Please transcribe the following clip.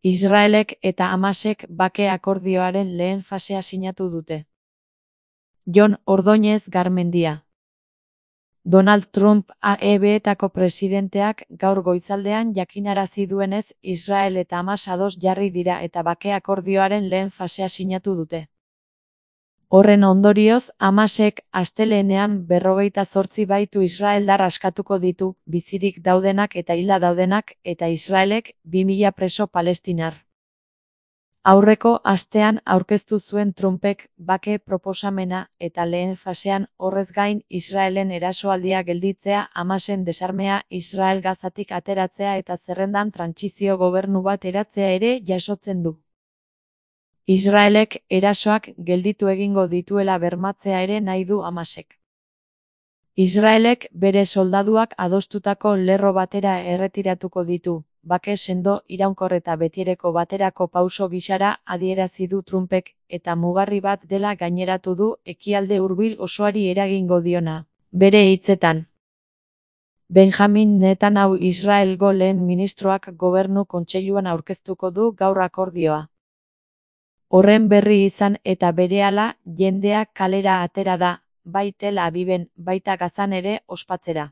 Israelek eta Hamasek bake akordioaren lehen fasea sinatu dute. Jon Ordóñez Garmendia. Donald Trump AEB-etako presidenteak gaur goizaldean jakinarazi duenez, Israel eta Hamas ados jarri dira eta bake akordioaren lehen fasea sinatu dute. Horren ondorioz, Hamasek astelehenean 58 baitu israeldar askatuko ditu, bizirik daudenak eta hilda daudenak, eta Israelek 2000 preso palestinar. Aurreko astean aurkeztu zuen Trumpek bake proposamena eta lehen fasean horrez gain Israelen erasoaldia gelditzea, Hamasen desarmea, Israel Gazatik ateratzea eta zerrendan trantsizio gobernu bat eratzea ere jasotzen du. Israelek erasoak gelditu egingo dituela bermatzea ere nahi du Hamasek. Israelek bere soldaduak adostutako lerro batera erretiratuko ditu, bake sendo, iraunkor eta betiereko baterako pauso gisara adierazi du Trumpek, eta mugarri bat dela gaineratu du ekialde hurbil osoari eragingo diona, bere hitzetan. Benjamin Netanyahu Israelgo lehen ministroak gobernu kontseiluan aurkeztuko du gaur akordioa. Horren berri izan eta berehala jendea kalera atera da, bai Tel Aviven, baita Gazan ere ospatzera.